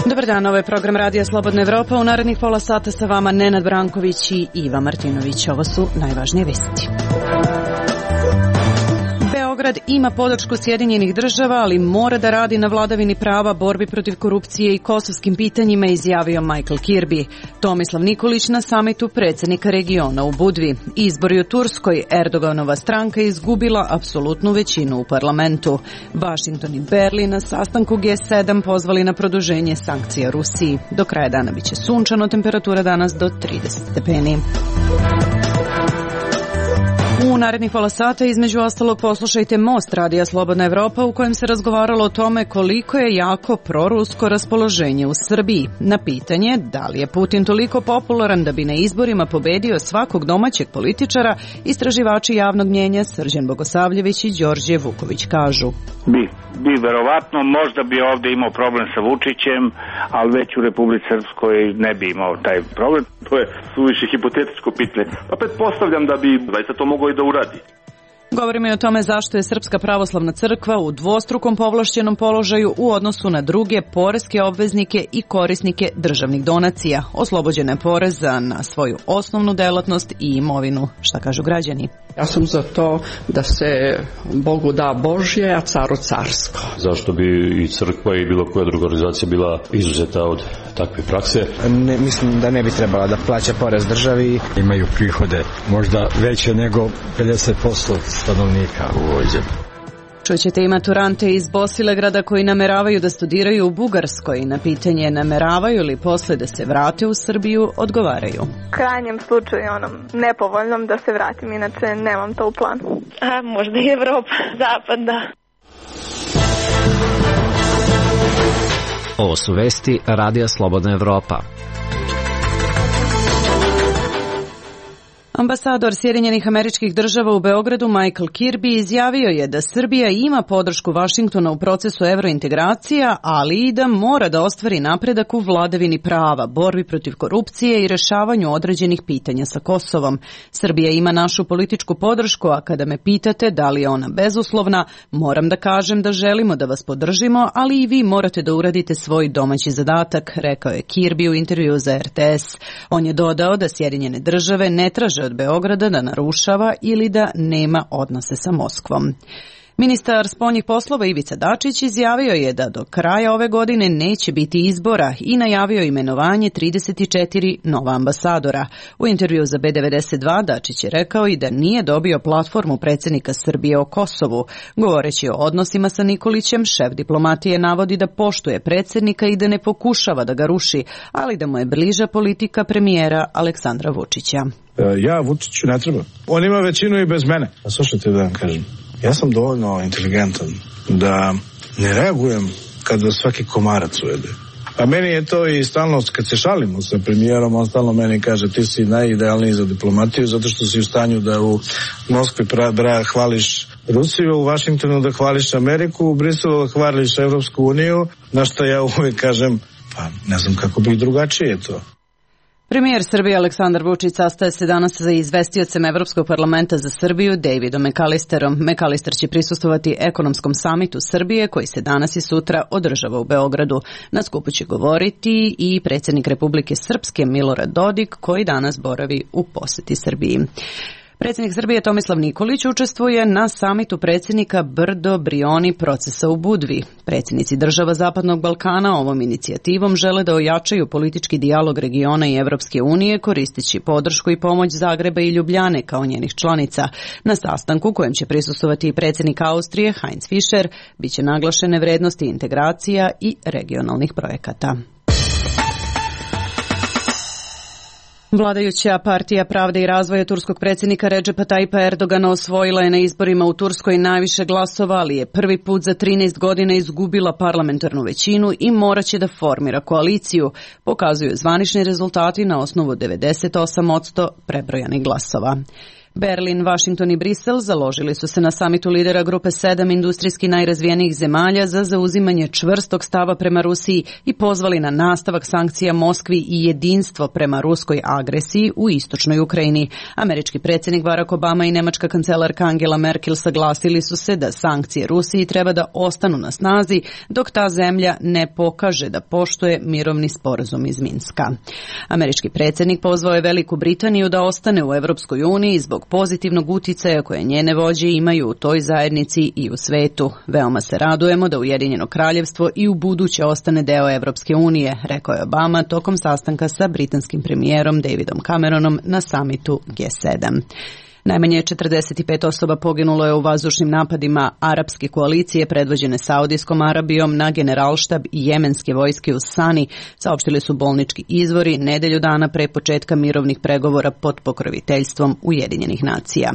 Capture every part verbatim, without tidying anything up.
Dobar dan, ovo je program Radija Slobodna Evropa. U narednih pola sata sa vama Nenad Branković i Iva Martinović. Ovo su najvažnije vesti. Beograd ima podršku Sjedinjenih država, ali mora da radi na vladavini prava, borbi protiv korupcije i kosovskim pitanjima, izjavio Michael Kirby. Tomislav Nikolić na samitu predsjednika regiona u Budvi. Izbori u Turskoj, Erdoganova stranka izgubila apsolutnu većinu u parlamentu. Vašington i Berlin na sastanku G sedam pozvali na produženje sankcija Rusiji. Do kraja dana biće sunčano, temperatura danas do trideset stepeni. U narednih pola sata između ostalog poslušajte Most Radija Slobodna Evropa u kojem se razgovaralo o tome koliko je jako prorusko raspoloženje u Srbiji. Na pitanje da li je Putin toliko popularan da bi na izborima pobedio svakog domaćeg političara, istraživači javnog mnjenja Srđan Bogosavljević i Đorđe Vuković kažu. Bi, bi verovatno, možda bi ovdje imao problem sa Vučićem, ali već u Republici Srpskoj ne bi imao taj problem. To je suviše hipotetičko pitanje. Pa pretpostavljam da bi zaista to moglo i da uradi. Govorimo i o tome zašto je Srpska pravoslavna crkva u dvostrukom povlašćenom položaju u odnosu na druge poreske obveznike i korisnike državnih donacija. Oslobođena je poreza na svoju osnovnu delatnost i imovinu. Šta kažu građani? Ja sam za to da se Bogu da Božje, a caru carsko. Zašto bi i crkva i bilo koja druga organizacija bila izuzeta od takve prakse? Ne, mislim da ne bi trebala da plaća porez državi. Imaju prihode možda veće nego pedeset posto stanovnika u ovoj zemlji. Čućete i maturante iz Bosilegrada koji nameravaju da studiraju u Bugarskoj. Na pitanje nameravaju li posle da se vrate u Srbiju, odgovaraju. U krajnjem slučaju onom nepovoljnom da se vratim, inače nemam to u planu. A možda i Evropa, Zapad, da. Ovo su vesti Radija Slobodna Evropa. Ambasador Sjedinjenih Američkih Država u Beogradu Michael Kirby izjavio je da Srbija ima podršku Vašingtona u procesu evrointegracija, ali i da mora da ostvari napredak u vladavini prava, borbi protiv korupcije i rešavanju određenih pitanja sa Kosovom. Srbija ima našu političku podršku, a kada me pitate da li je ona bezuslovna, moram da kažem da želimo da vas podržimo, ali i vi morate da uradite svoj domaći zadatak, rekao je Kirby u intervju za R T S. On je dodao da Sjedinjene Države ne traže od Beograda da narušava ili da nema odnose sa Moskvom. Ministar spoljnih poslova Ivica Dačić izjavio je da do kraja ove godine neće biti izbora i najavio imenovanje trideset četiri nova ambasadora. U intervju za B devedeset dva Dačić je rekao i da nije dobio platformu predsjednika Srbije o Kosovu. Govoreći o odnosima sa Nikolićem, šef diplomatije navodi da poštuje predsjednika i da ne pokušava da ga ruši, ali da mu je bliža politika premijera Aleksandra Vučića. Ja Vučiću ne treba. On ima većinu i bez mene. A slušajte da vam kažem. Ja sam dovoljno inteligentan da ne reagujem kada svaki komarac ujede. A meni je to i stalno, kad se šalimo sa premijerom, on stalno meni kaže ti si najidealniji za diplomatiju zato što si u stanju da u Moskvi pra, bra, hvališ Rusiju, u Vašingtonu da hvališ Ameriku, u Briselu da hvališ Evropsku uniju, na što ja uvijek kažem, pa ne znam kako bi drugačije to. Premijer Srbije Aleksandar Vučić sastaje se danas sa izvestiocem Evropskog parlamenta za Srbiju Davidom McAllisterom. McAllister će prisustvovati ekonomskom samitu Srbije koji se danas i sutra održava u Beogradu. Na skupu će govoriti i predsjednik Republike Srpske Milorad Dodik koji danas boravi u posjeti Srbiji. Predsjednik Srbije Tomislav Nikolić učestvuje na samitu predsjednika Brdo Brioni procesa u Budvi. Predsjednici država Zapadnog Balkana ovom inicijativom žele da ojačaju politički dijalog regiona i Evropske unije koristeći podršku i pomoć Zagreba i Ljubljane kao njenih članica. Na sastanku kojem će prisustvovati i predsjednik Austrije Heinz Fischer biće naglašene vrednosti integracija i regionalnih projekata. Vladajuća partija Pravde i razvoja turskog predsjednika Redžepa Tajpa Erdogana osvojila je na izborima u Turskoj najviše glasova, ali je prvi put za trinaest godina izgubila parlamentarnu većinu i morat će da formira koaliciju, pokazuju zvanični rezultati na osnovu devedeset osam posto prebrojanih glasova. Berlin, Vašington i Brisel založili su se na samitu lidera grupe sedam industrijski najrazvijenijih zemalja za zauzimanje čvrstog stava prema Rusiji i pozvali na nastavak sankcija Moskvi i jedinstvo prema ruskoj agresiji u istočnoj Ukrajini. Američki predsjednik Barack Obama i nemačka kancelarka Angela Merkel saglasili su se da sankcije Rusiji treba da ostanu na snazi dok ta zemlja ne pokaže da poštuje mirovni sporazum iz Minska. Američki predsjednik pozvao je Veliku Britaniju da ostane u Evropskoj uniji zbog pozitivnog uticaja koje njene vođe imaju u toj zajednici i u svetu. Veoma se radujemo da Ujedinjeno kraljevstvo i u buduće ostane deo Evropske unije, rekao je Obama tokom sastanka sa britanskim premijerom Davidom Cameronom na samitu G sedam. Najmanje četrdeset pet osoba poginulo je u vazdušnim napadima arapske koalicije predvođene Saudijskom Arabijom na generalštab i jemenske vojske u Sani, saopštili su bolnički izvori nedelju dana pre početka mirovnih pregovora pod pokroviteljstvom Ujedinjenih nacija.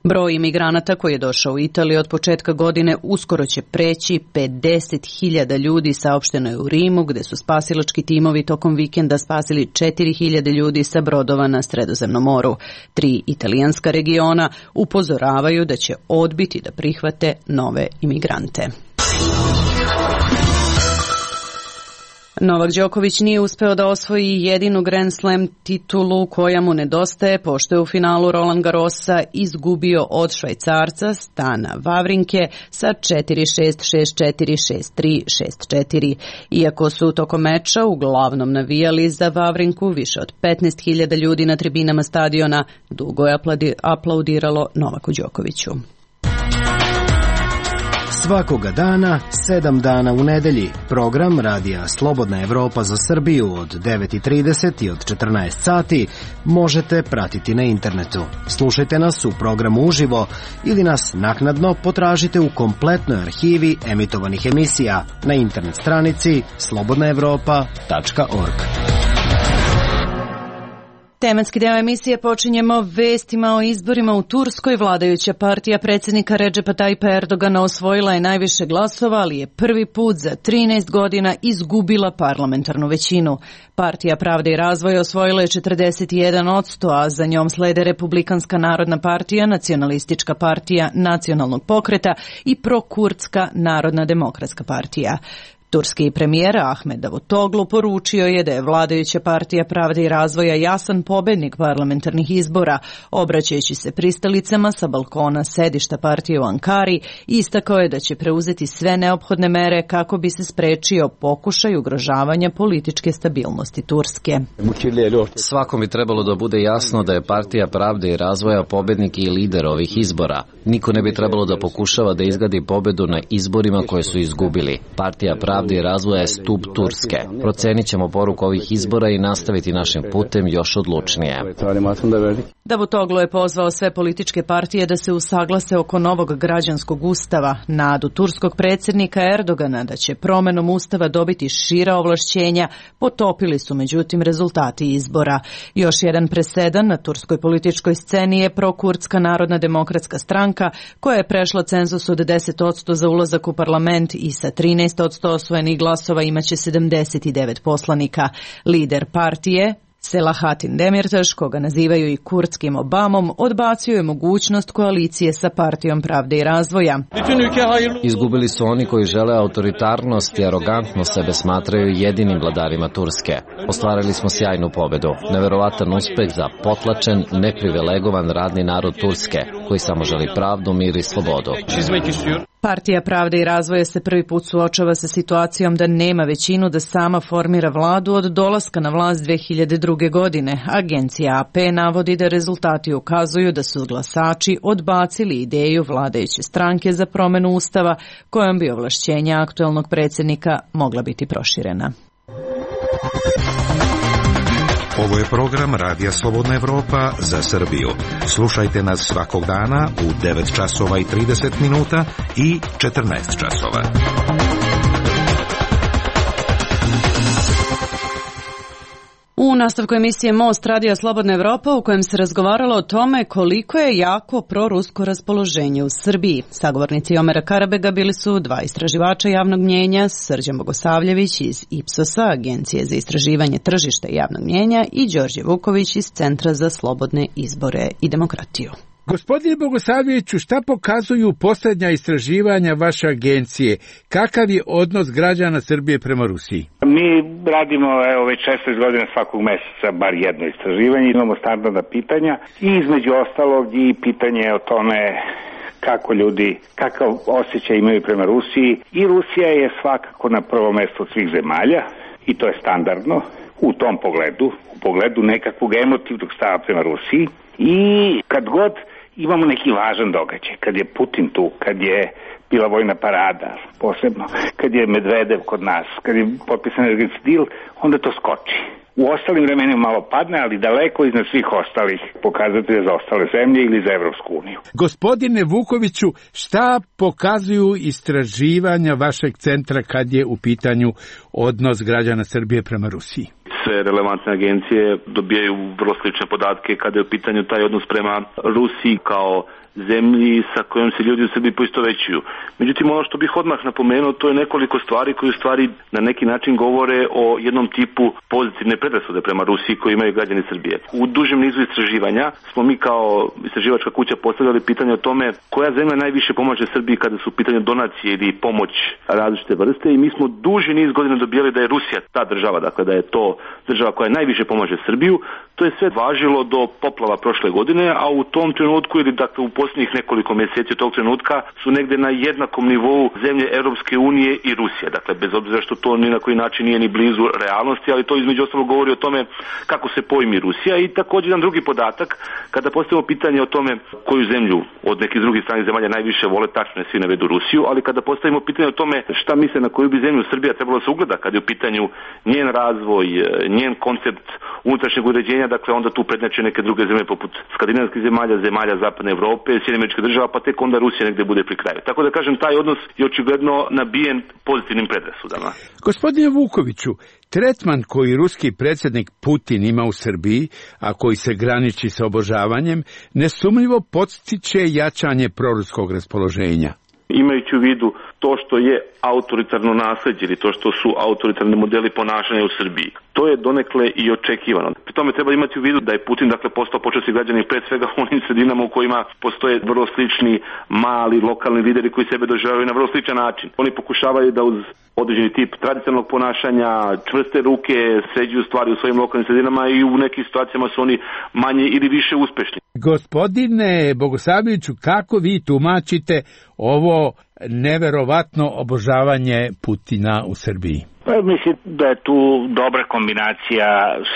Broj imigranata koji je došao u Italiju od početka godine uskoro će preći pedeset hiljada ljudi, saopšteno je u Rimu, gde su spasilački timovi tokom vikenda spasili četiri hiljade ljudi sa brodova na Sredozemnom moru. Tri italijanska regiona upozoravaju da će odbiti da prihvate nove imigrante. Novak Đoković nije uspeo da osvoji jedinu Grand Slam titulu koja mu nedostaje, pošto je u finalu Roland Garrosa izgubio od Švajcarca Stana Wawrinke sa četiri šest, šest četiri, šest tri, šest četiri. Iako su tokom meča uglavnom navijali za Wawrinku, više od petnaest hiljada ljudi na tribinama stadiona dugo je aplaudiralo Novaku Đokoviću. Svakoga dana, sedam dana u nedelji, program Radija Slobodna Evropa za Srbiju od devet i trideset i od četrnaest sati možete pratiti na internetu. Slušajte nas u programu uživo ili nas naknadno potražite u kompletnoj arhivi emitovanih emisija na internet stranici slobodna evropa tačka org. Tematski deo emisije počinjemo vestima o izborima u Turskoj. Vladajuća partija predsjednika Redžepa Tajipa Erdogana osvojila je najviše glasova, ali je prvi put za trinaest godina izgubila parlamentarnu većinu. Partija Pravde i razvoja osvojila je četrdeset jedan posto, a za njom slede Republikanska narodna partija, Nacionalistička partija nacionalnog pokreta i prokurdska Narodna demokratska partija. Turski premijer Ahmed Davutoglu poručio je da je vladajuća partija Pravde i razvoja jasan pobednik parlamentarnih izbora, obraćajući se pristalicama sa balkona sedišta partije u Ankari, istakao je da će preuzeti sve neophodne mere kako bi se sprečio pokušaj ugrožavanja političke stabilnosti Turske. Svakom bi trebalo da bude jasno da je partija Pravde i razvoja pobednik i lider ovih izbora. Niko ne bi trebalo da pokušava da izgradi pobedu na izborima koje su izgubili. Partija Pravde i razvoja je stup Turske. Procenit ćemo poruku ovih izbora i nastaviti našim putem još odlučnije. Davutoglu je pozvao sve političke partije da se usaglase oko novog građanskog ustava. Nadu turskog predsjednika Erdogana da će promenom ustava dobiti šira ovlašćenja potopili su međutim rezultati izbora. Još jedan presedan na turskoj političkoj sceni je prokurdska Narodna demokratska stranka koja je prešla cenzus od deset posto za ulazak u parlament i sa trinaest posto osvojenih glasova imaće sedamdeset devet poslanika. Lider partije Selahattin Demirtaš, koga nazivaju i kurdskim Obamom, odbacio je mogućnost koalicije sa partijom Pravde i razvoja. Izgubili su oni koji žele autoritarnost i arogantno sebe smatraju jedinim vladarima Turske. Ostvarili smo sjajnu pobedu, neverovatan uspeh za potlačen, neprivilegovan radni narod Turske, koji samo želi pravdu, mir i slobodu. Partija Pravde i razvoja se prvi put suočava sa situacijom da nema većinu da sama formira vladu od dolaska na vlast dve hiljade druge. godine. Agencija A P navodi da rezultati ukazuju da su glasači odbacili ideju vladajuće stranke za promenu ustava kojom bi ovlašćenja aktuelnog predsjednika mogla biti proširena. Ovo je program Radija Slobodna Evropa za Srbiju. Slušajte nas svakog dana u devet časova i trideset minuta i četrnaest časova. U nastavku emisije Most Radija Slobodna Evropa u kojem se razgovaralo o tome koliko je jako prorusko raspoloženje u Srbiji. Sagovornici Omera Karabega bili su dva istraživača javnog mnjenja, Srđan Bogosavljević iz Ipsosa, Agencije za istraživanje tržišta javnog mnjenja, i Đorđe Vuković iz Centra za slobodne izbore i demokratiju. Gospodine Bogosavljeviću, šta pokazuju posljednja istraživanja vaše agencije? Kakav je odnos građana Srbije prema Rusiji? Mi radimo evo, već šesnaest godina svakog meseca bar jedno istraživanje, imamo standardna pitanja i između ostalog i pitanje o tome kako ljudi, kakav osjećaj imaju prema Rusiji. I Rusija je svakako na prvom mjestu od svih zemalja i to je standardno u tom pogledu, u pogledu nekakvog emotivnog stava prema Rusiji. I kad god imamo neki važan događaj, kad je Putin tu, kad je bila vojna parada, posebno, kad je Medvedev kod nas, kad je potpisan energetski deal, onda to skoči. U ostalim vremenima malo padne, ali daleko iznad svih ostalih pokazatelja za ostale zemlje ili za Evropsku uniju. Gospodine Vukoviću, šta pokazuju istraživanja vašeg centra kad je u pitanju odnos građana Srbije prema Rusiji? Sve relevantne agencije dobijaju vrlo slične podatke kada je u pitanju taj odnos prema Rusiji kao zemlji sa kojom se ljudi u Srbiji poistovećuju. Međutim, ono što bih odmah napomenuo, to je nekoliko stvari koje u stvari na neki način govore o jednom tipu pozitivne predrasude prema Rusiji koji imaju građani Srbije. U dužem nizu istraživanja smo mi kao istraživačka kuća postavljali pitanje o tome koja zemlja najviše pomaže Srbiji kada su u pitanju donacije ili pomoć različite vrste i mi smo duži niz godina dobijali da je Rusija ta država, dakle da je to država koja najviše pomaže Srbiju. To je sve važilo do poplava prošle godine, a u tom trenutku ili dakle u posljednjih nekoliko mjeseci od tog trenutka su negde na jednakom nivou zemlje Europske unije i Rusije. Dakle, bez obzira što to ni na koji način nije ni blizu realnosti, ali to između ostalog govori o tome kako se pojmi Rusija. I također jedan drugi podatak, kada postavimo pitanje o tome koju zemlju od nekih drugih stranih zemalja najviše vole, tačno je svi navedu Rusiju, ali kada postavimo pitanje o tome šta misle na koju bi zemlju Srbija trebalo se ugleda kada je u pitanju njen razvoj, njen koncept unutrašnjeg uređenja, dakle onda tu prednjače neke druge zemlje poput skandinavskih zemalja, zemalja zapadne Evrope, Sjedinjenih Američkih Država, pa tek onda Rusija negde bude pri kraju. Tako da kažem, taj odnos je očigledno nabijen pozitivnim predrasudama. Gospodine Vukoviću, tretman koji ruski predsjednik Putin ima u Srbiji, a koji se graniči sa obožavanjem, nesumnjivo podstiče jačanje proruskog raspoloženja. Imajući u vidu to što je autoritarno nasljeđe ili to što su autoritarni modeli ponašanja u Srbiji. To je donekle i očekivano. Pri tome treba imati u vidu da je Putin dakle postao počasni građanin pre svega u onim sredinama u kojima postoje vrlo slični mali lokalni lideri koji sebe doživljavaju na vrlo sličan način. Oni pokušavaju da uz određeni tip tradicionalnog ponašanja, čvrste ruke, sređuju stvari u svojim lokalnim sredinama i u nekim situacijama su oni manje ili više uspešni. Gospodine Bogosavljeviću, kako vi tumačite ovo neverovatno obožavanje Putina u Srbiji? Pa mislim da je tu dobra kombinacija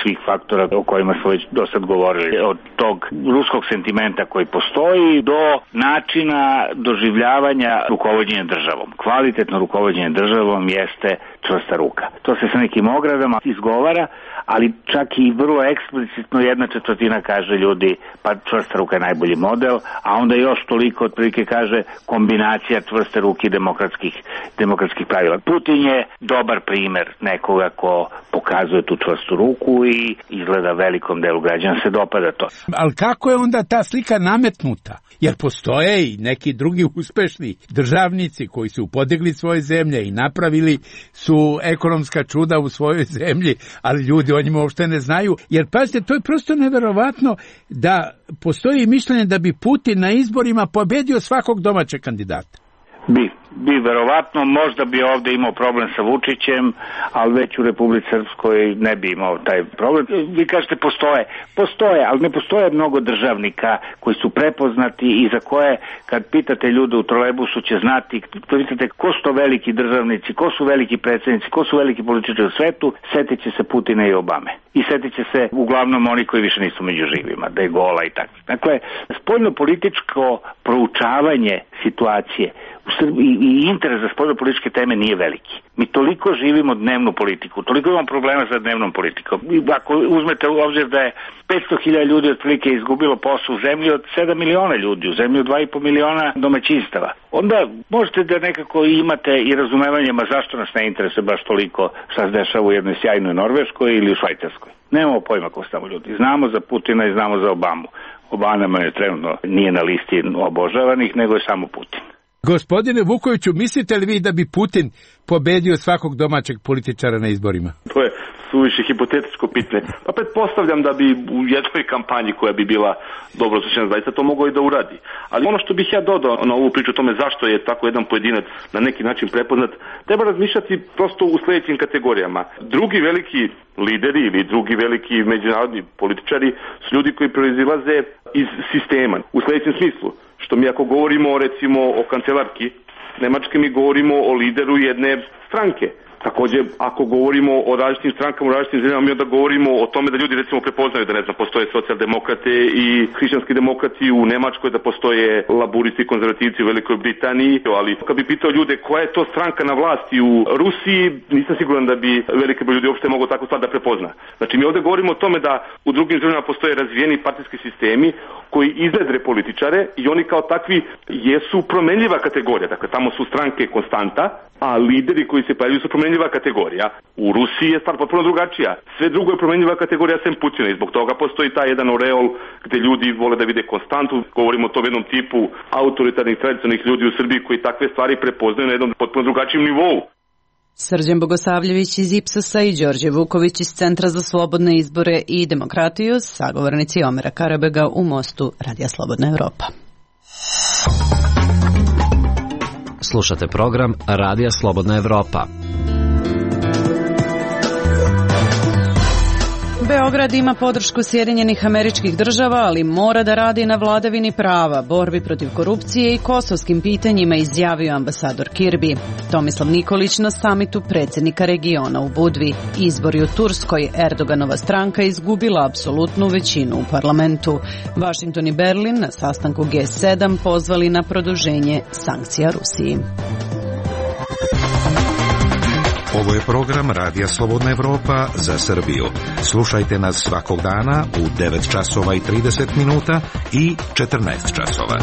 svih faktora o kojima smo već do sad govorili. Od tog ruskog sentimenta koji postoji do načina doživljavanja rukovođenja državom. Kvalitetno rukovođenje državom jeste čvrsta ruka. To se sa nekim ogradama izgovara, ali čak i vrlo eksplicitno jedna četvrtina kaže ljudi pa čvrsta ruka je najbolji model, a onda još toliko otprilike kaže kombinacija čvrste ruke i demokratskih, demokratskih pravila. Putin je dobar primjer nekoga ko pokazuje tu čvrstu ruku i izgleda velikom delu građana se dopada to. Ali kako je onda ta slika nametnuta? Jer postoje i neki drugi uspešni državnici koji su podigli svoje zemlje i napravili su ekonomska čuda u svojoj zemlji, ali ljudi o njima uopšte ne znaju. Jer pazite, to je prosto neverovatno da postoji mišljenje da bi Putin na izborima pobedio svakog domaćeg kandidata. Bi, bi verovatno, možda bi ovde imao problem sa Vučićem, ali već u Republici Srpskoj ne bi imao taj problem. Vi kažete postoje, postoje, ali ne postoje mnogo državnika koji su prepoznati i za koje kad pitate ljude u trolejbusu će znati, pitate ko su to veliki državnici, ko su veliki predsjednici, ko su veliki političari u svetu, setit će se Putina i Obame. I setit će se uglavnom oni koji više nisu među živima, da je gola i tako. Dakle, spoljno-političko proučavanje situacije u Srbiji i interes za spoljno-političke teme nije veliki. Mi toliko živimo dnevnu politiku, toliko imamo problema sa dnevnom politikom. I ako uzmete u obzir da je petsto hiljada ljudi otprilike izgubilo posao u zemlji od sedam miliona ljudi, u zemlji od dva i po miliona domaćinstava, onda možete da nekako imate i razumevanje, ma zašto nas ne interesuje baš toliko šta se dešava u jednoj sjajnoj Norveškoj ili u Švajcarskoj. Nemamo pojma ko su tamo ljudi. Znamo za Putina i znamo za Obamu. Obama je trenutno nije na listi obožavanih, nego je samo Putin. Gospodine Vukoviću, mislite li vi da bi Putin pobedio svakog domaćeg političara na izborima? To je suviše hipotetičko pitanje. Pa pretpostavljam da bi u jednoj kampanji koja bi bila dobro osjećana zaista to moglo i da uradi. Ali ono što bih ja dodao na ovu priču o tome zašto je tako jedan pojedinac na neki način prepoznat, treba razmišljati prosto u sledećim kategorijama. Drugi veliki lideri ili drugi veliki međunarodni političari su ljudi koji proizilaze iz sistema u sledećem smislu. Što mi ako govorimo recimo o kancelarki Nemačke, mi govorimo o lideru jedne stranke. Takođe, ako govorimo o različitim strankama u različitim zemljama, mi onda govorimo o tome da ljudi recimo prepoznaju da ne znam, postoje socijaldemokrate i hrišćanski demokrati u Nemačkoj, da postoje laburisti i konzervativci u Velikoj Britaniji, ali kad bi pitao ljude koja je to stranka na vlasti u Rusiji, nisam siguran da bi veliki broj ljudi uopšte mogao takvu stvar da prepozna. Znači mi ovde govorimo o tome da u drugim zemljama postoje razvijeni partijski sistemi koji iznedre političare i oni kao takvi jesu promenljiva kategorija. Dakle, tamo su stranke konstanta, a lideri koji se pojavljuju su promenljiva kategorija. U Rusiji je stvar potpuno drugačija. Sve drugo je promenljiva kategorija sem Putina i zbog toga postoji taj jedan oreol gde ljudi vole da vide konstantu. Govorimo o tom jednom tipu autoritarnih tradicionalnih ljudi u Srbiji koji takve stvari prepoznaju na jednom potpuno drugačijem nivou. Srđan Bogosavljević iz Ipsosa i Đorđe Vuković iz Centra za slobodne izbore i demokratiju, sagovornici Omera Karabega u Mostu Radija Slobodna Evropa. Slušate program Radija Slobodna Evropa. Beograd ima podršku Sjedinjenih Američkih Država, ali mora da radi na vladavini prava, borbi protiv korupcije i kosovskim pitanjima, izjavio ambasador Kirbi. Tomislav Nikolić na samitu predsjednika regiona u Budvi. Izbori u Turskoj, Erdoganova stranka izgubila apsolutnu većinu u parlamentu. Vašington i Berlin na sastanku G sedam pozvali na produženje sankcija Rusiji. Ovo je program Radija Slobodna Evropa za Srbiju. Slušajte nas svakog dana u devet časova i trideset minuta i četrnaest časova.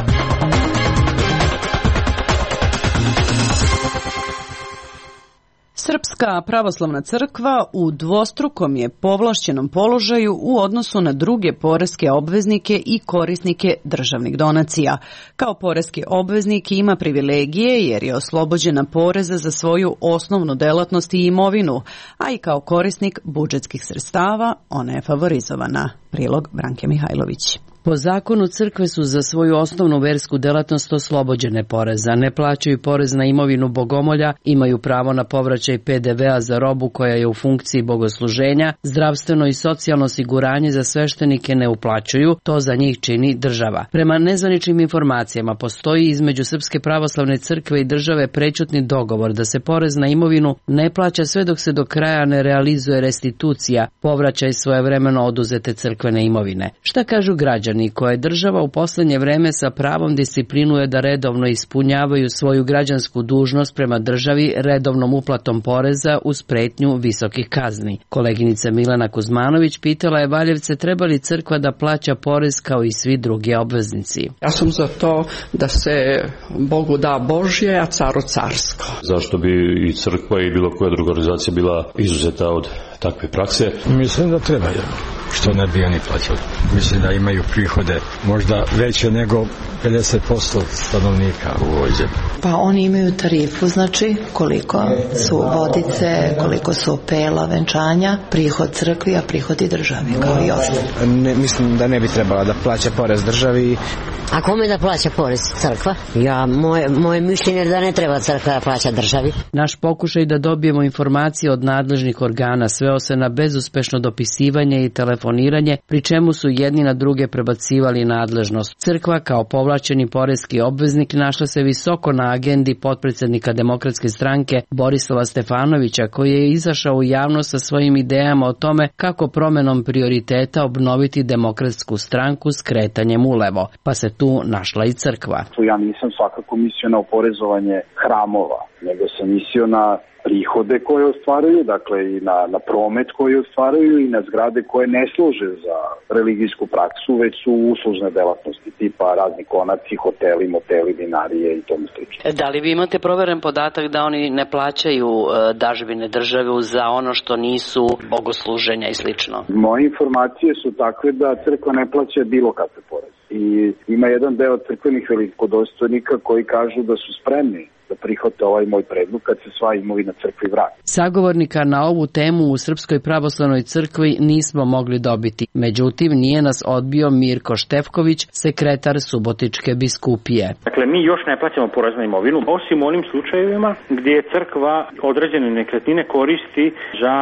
Srpska pravoslavna crkva u dvostrukom je povlašćenom položaju u odnosu na druge poreske obveznike i korisnike državnih donacija. Kao poreski obveznik ima privilegije jer je oslobođena poreza za svoju osnovnu delatnost i imovinu, a i kao korisnik budžetskih sredstava ona je favorizovana. Prilog Branke Mihajlović. Po zakonu crkve su za svoju osnovnu versku delatnost oslobođene poreza, ne plaćaju porez na imovinu bogomolja, imaju pravo na povraćaj P D V-a za robu koja je u funkciji bogosluženja, zdravstveno i socijalno osiguranje za sveštenike ne uplaćuju, to za njih čini država. Prema nezvaničnim informacijama postoji između Srpske pravoslavne crkve i države prećutni dogovor da se porez na imovinu ne plaća sve dok se do kraja ne realizuje restitucija, povraćaj svojevremeno oduzete crkvene imovine. Šta kažu građani koje država u poslednje vreme sa pravom disciplinuje da redovno ispunjavaju svoju građansku dužnost prema državi redovnom uplatom poreza uz pretnju visokih kazni? Koleginica Milena Kuzmanović pitala je Valjevce treba li crkva da plaća porez kao i svi drugi obveznici. Ja sam za to da se Bogu da Božje, a caru carsko. Zašto bi i crkva i bilo koja druga organizacija bila izuzeta od takve prakse? Mislim da treba, što ne bi oni plaćali. Mislim da imaju prihode možda veće nego pedeset posto stanovnika u ovoj zemlji. Pa oni imaju tarifu, znači koliko su vodice, koliko su pela, venčanja, prihod crkvi, a prihod i državi, kao i ostali. Ne, mislim da ne bi trebala da plaća porez državi. A kome da plaća porez? Crkva? Ja, moje, moje mišljenje je da ne treba crkva da plaća državi. Naš pokušaj da dobijemo informacije od nadležnih organa sveo se na bezuspešno dopisivanje i telefoniranje, pri čemu su jedni na druge prebacivali nadležnost. Crkva kao povlačeni poreski obveznik našla se visoko na agendi potpredsednika Demokratske stranke Borislava Stefanovića, koji je izašao u javnost sa svojim idejama o tome kako promenom prioriteta obnoviti Demokratsku stranku skretanjem ulevo, pa se tu našla i crkva. Ja nisam svakako mislio na oporezovanje hramova, nego sam mislio na prihode koje ostvaruju, dakle i na, na promet koji ostvaruju i na zgrade koje ne služe za religijsku praksu, već su uslužne delatnosti tipa razni konaci, hoteli, moteli, vinarije i tomu slično. Da li vi imate proveren podatak da oni ne plaćaju uh, dažbine države za ono što nisu bogosluženja i slično? Moje informacije su takve da crkva ne plaća bilo kakve poreze. I ima jedan deo crkvenih velikodostojnika koji kažu da su spremni da prihvate ovaj moj predlog kad se sva imovina crkvi vrati. Sagovornika na ovu temu u Srpskoj pravoslavnoj crkvi nismo mogli dobiti. Međutim, nije nas odbio Mirko Štefković, sekretar Subotičke biskupije. Dakle, mi još ne plaćamo porez na imovinu, osim onim slučajevima gdje je crkva određene nekretnine koristi za,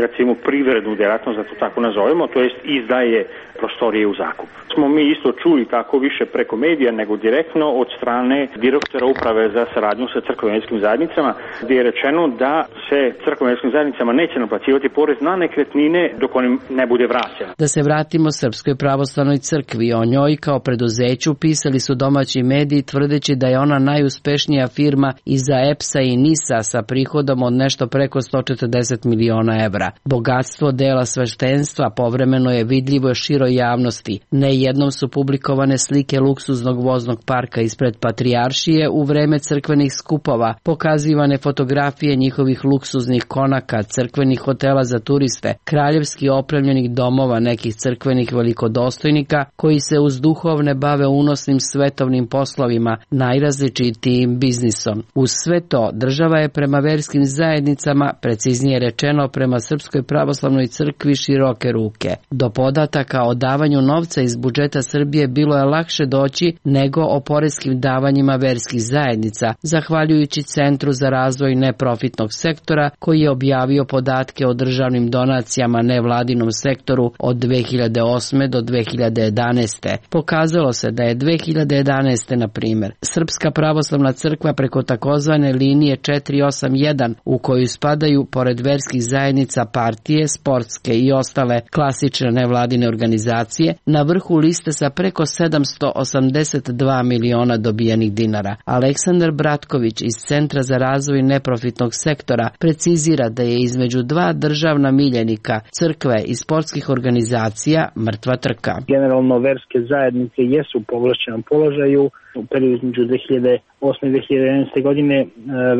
recimo, privrednu djelatnost, da to tako nazovemo, to jest izdaje prostorije u zakup. Smo mi isto čuli tako više preko medija nego direktno od strane direktora uprave za saradnju sa crkveno-vjerskim zajednicama, gdje je rečeno da se crkveno-vjerskim zajednicama neće naplaćivati porez na nekretnine dok on ne bude vraćen. Da se vratimo Srpskoj pravoslavnoj crkvi, o njoj kao preduzeću pisali su domaći mediji tvrdeći da je ona najuspešnija firma iza E P S-a i N I S-a sa prihodom od nešto preko sto četrdeset miliona evra. Bogatstvo dela sveštenstva povremeno je vidljivo široj javnosti. Nejednom su publikovane slike luksuznog voznog parka ispred Patrijaršije u vreme crkvenih skupova, pokazivane fotografije njihovih luksuznih konaka, crkvenih hotela za turiste, kraljevski opremljenih domova nekih crkvenih velikodostojnika koji se uz duhovne bave unosnim svetovnim poslovima, najrazličitijim biznisom. Uz sve to, država je prema verskim zajednicama, preciznije rečeno prema Srpskoj pravoslavnoj crkvi, široke ruke. Do podataka o davanju novca iz budžeta Srbije bilo je lakše doći nego o poreskim davanjima verskih zajednica, zahvaljujući Centru za razvoj neprofitnog sektora koji je objavio podatke o državnim donacijama nevladinom sektoru od dve hiljade osme do dve hiljade jedanaeste. Pokazalo se da je dve hiljade jedanaeste na primjer Srpska pravoslavna crkva preko takozvane linije četiri osam jedan, u koju spadaju pored verskih zajednica partije, sportske i ostale klasične nevladine organizacije, na vrhu liste sa preko sedamsto osamdeset dva miliona dobijenih dinara. Aleksandar Bratković iz Centra za razvoj neprofitnog sektora precizira da je između dva državna miljenika, crkve i sportskih organizacija, mrtva trka. Generalno verske zajednice jesu u povlašćenom položaju. U periodu između dve hiljade osme i dve hiljade jedanaeste godine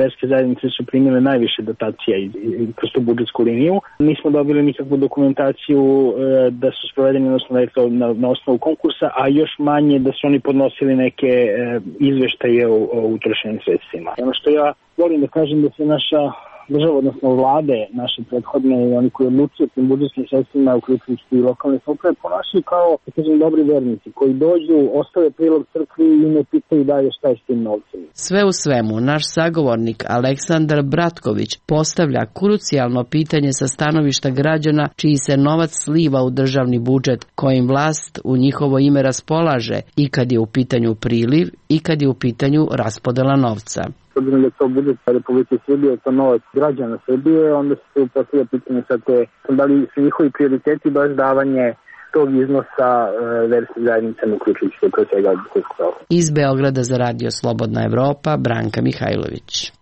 verske zajednice su primile najviše dotacija kroz tu budžetsku liniju. Nismo dobili nikakvu dokumentaciju da su sprovedeni na, na osnovu konkursa, a još manje da su oni podnosili neke izveštaje o, o utrošenim sredstvima. Ono što ja volim da kažem da se naša država, odnosno vlade, naše prethodne i oni koji odlučuju tim budžetskim sredstvima, uključujući i lokalne samouprave, ponašaju kao, da kažem, dobri vernici koji dođu, ostave prilog crkvi i ne pitaju dalje šta je s tim novcem. Sve u svemu, naš sagovornik Aleksandar Bratković postavlja krucijalno pitanje sa stanovišta građana čiji se novac sliva u državni budžet, kojim vlast u njihovo ime raspolaže i kad je u pitanju priliv i kad je u pitanju raspodela novca. Obzirom da je to budžet Republike Srbije, to novac građana Srbije, onda se postavlja pitanje sad te, da li su njihovi prioriteti baš davanje tog iznosa e, verskih zajednicama, uključujući se pre svega Srpsku pravoslavnu. Iz Beograda za Radio Slobodna Evropa, Branka Mihajlović.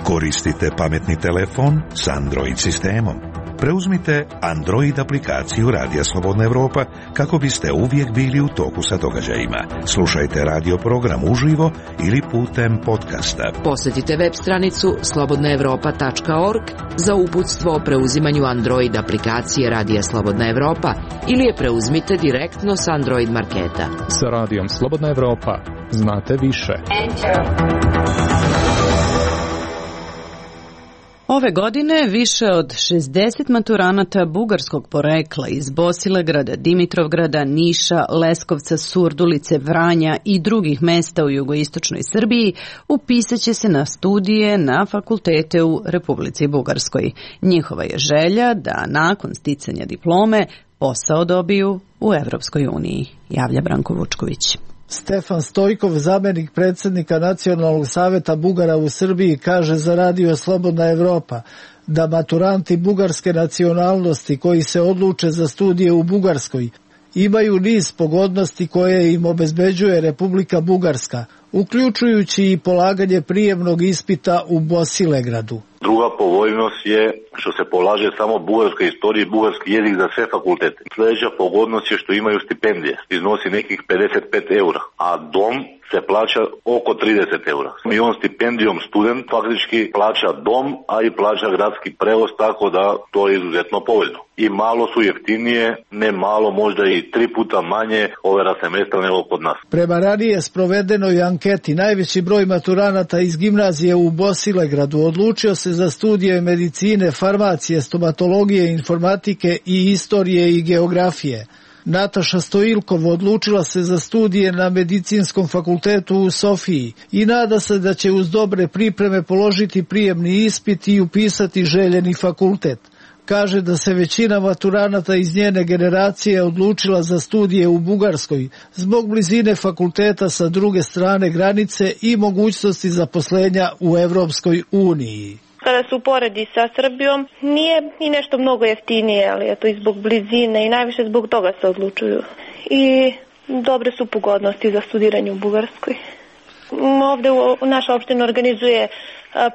Koristite pametni telefon s Android sistemom. Preuzmite Android aplikaciju Radija Slobodna Evropa kako biste uvijek bili u toku sa događajima. Slušajte radio program uživo ili putem podcasta. Posjetite web stranicu slobodna evropa tačka org za uputstvo o preuzimanju Android aplikacije Radija Slobodna Evropa ili je preuzmite direktno s Android marketa. Sa Radijom Slobodna Evropa znate više. Ove godine više od šezdeset maturanata bugarskog porekla iz Bosilegrada, Dimitrovgrada, Niša, Leskovca, Surdulice, Vranja i drugih mesta u jugoistočnoj Srbiji upisat će se na studije na fakultete u Republici Bugarskoj. Njihova je želja da nakon sticanja diplome posao dobiju u Evropskoj uniji, javlja Branko Vučković. Stefan Stojkov, zamjenik predsjednika Nacionalnog saveta Bugara u Srbiji, kaže za Radio Slobodna Evropa da maturanti bugarske nacionalnosti koji se odluče za studije u Bugarskoj imaju niz pogodnosti koje im obezbeđuje Republika Bugarska, uključujući i polaganje prijemnog ispita u Bosilegradu. Druga povoljnost je što se polaže samo bugarska istorija i bugarski jezik za sve fakultete. Sljedeća pogodnost je što imaju stipendije, iznosi nekih pedeset pet eura, a dom se plaća oko trideset eura. I on stipendijom student faktički plaća dom, a i plaća gradski prevoz, tako da to je izuzetno povoljno. I malo su jeftinije, ne malo, možda i tri puta manje overa semestra nego kod nas. Prema ranije sprovedenoj anketi, najveći broj maturanata iz gimnazije u Bosilegradu odlučio se za studije medicine, farmacije, stomatologije, informatike i istorije i geografije. Nataša Stoilkov odlučila se za studije na Medicinskom fakultetu u Sofiji i nada se da će uz dobre pripreme položiti prijemni ispit i upisati željeni fakultet. Kaže da se većina maturanata iz njene generacije odlučila za studije u Bugarskoj zbog blizine fakulteta sa druge strane granice i mogućnosti zaposlenja u Evropskoj uniji. Kada se uporedi sa Srbijom, nije i nešto mnogo jeftinije, ali je to i zbog blizine i najviše zbog toga se odlučuju. I dobre su pogodnosti za studiranje u Bugarskoj. Ovde u naša opština organizuje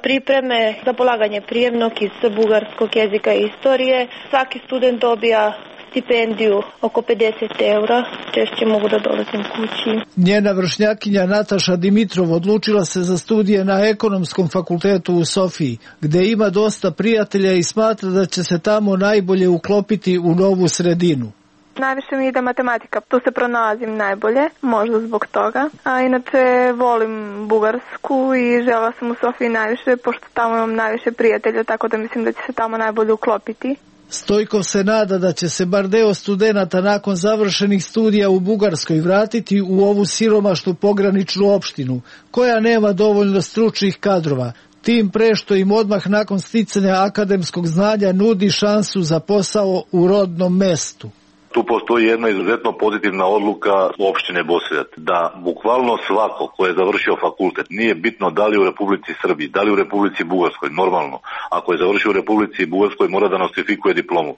pripreme za polaganje prijemnog iz bugarskog jezika i istorije. Svaki student dobija stipendiju oko pedeset eura, češće mogu da dolazim kući. Njena vršnjakinja Nataša Dimitrov odlučila se za studije na Ekonomskom fakultetu u Sofiji, gde ima dosta prijatelja i smatra da će se tamo najbolje uklopiti u novu sredinu. Najviše mi ide matematika, tu se pronalazim najbolje, možda zbog toga. A inače volim Bugarsku i želela sam u Sofiji najviše, pošto tamo imam najviše prijatelja, tako da mislim da će se tamo najbolje uklopiti. Stojkov se nada da će se bar deo studenata nakon završenih studija u Bugarskoj vratiti u ovu siromašnu pograničnu opštinu, koja nema dovoljno stručnih kadrova, tim pre što im odmah nakon sticanja akademskog znanja nudi šansu za posao u rodnom mestu. Tu postoji jedna izuzetno pozitivna odluka opštine Bosiljak, da bukvalno svako ko je završio fakultet, nije bitno da li u Republici Srbiji, da li u Republici Bugarskoj, normalno, ako je završio u Republici Bugarskoj mora da nostrifikuje diplomu,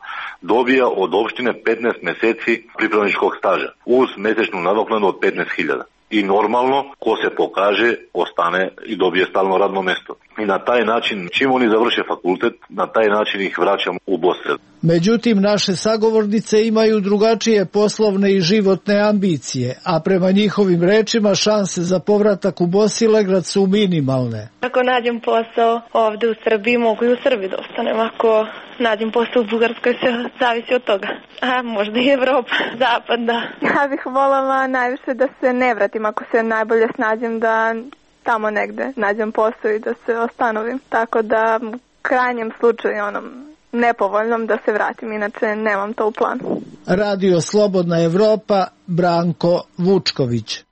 dobija od opštine petnaest meseci pripravničkog staža uz mesečnu nadoknadu od petnaest hiljada. I normalno, ko se pokaže, ostane i dobije stalno radno mesto. I na taj način, čim oni završe fakultet, na taj način ih vraćamo u Bosiljak. Međutim, naše sagovornice imaju drugačije poslovne i životne ambicije, a prema njihovim rečima šanse za povratak u Bosilegrad su minimalne. Ako nađem posao ovde u Srbiji, mogu i u Srbiji da ostanem. Ako nađem posao u Bugarskoj, se zavisi od toga. A možda i Evropa, Zapad, da. Ja bih voljela najviše da se ne vratim, ako se najbolje snađem da tamo negde nađem posao i da se ostanovim. Tako da u krajnjem slučaju onom nepovoljnom da se vratim, inače nemam to u planu. Radio Slobodna Evropa, Branko Vučković.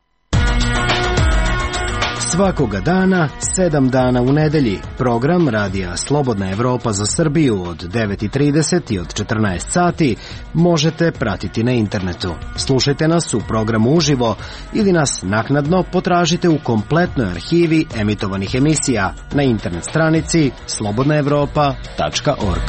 Svakoga dana, sedam dana u nedelji, program Radija Slobodna Evropa za Srbiju od devet i trideset i od četrnaest sati možete pratiti na internetu. Slušajte nas u programu uživo ili nas naknadno potražite u kompletnoj arhivi emitovanih emisija na internet stranici slobodna evropa tačka org.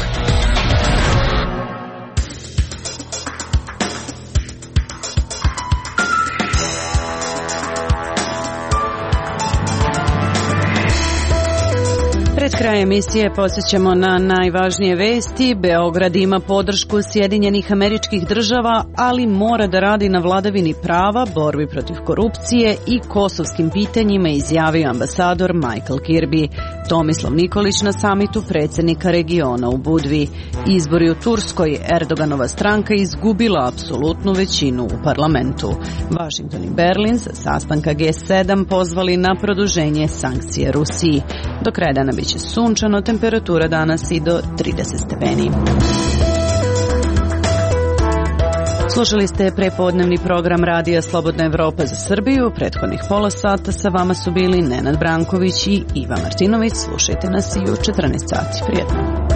Pred kraj emisije posjećamo na najvažnije vesti. Beograd ima podršku Sjedinjenih Američkih Država, ali mora da radi na vladavini prava, borbi protiv korupcije i kosovskim pitanjima, izjavio ambasador Michael Kirby. Tomislav Nikolić na samitu predsjednika regiona u Budvi. Izbori u Turskoj, Erdoganova stranka izgubila apsolutnu većinu u parlamentu. Washington i Berlin sa sastanka G sedam pozvali na produženje sankcije Rusiji. Do kraja dana biće sunčano, temperatura danas i do trideset stepeni. Slušali ste prepodnevni program Radija Slobodna Evropa za Srbiju. Prethodnih pola sata sa vama su bili Nenad Branković i Iva Martinović. Slušajte nas i u četrnaest sati. Prijetno.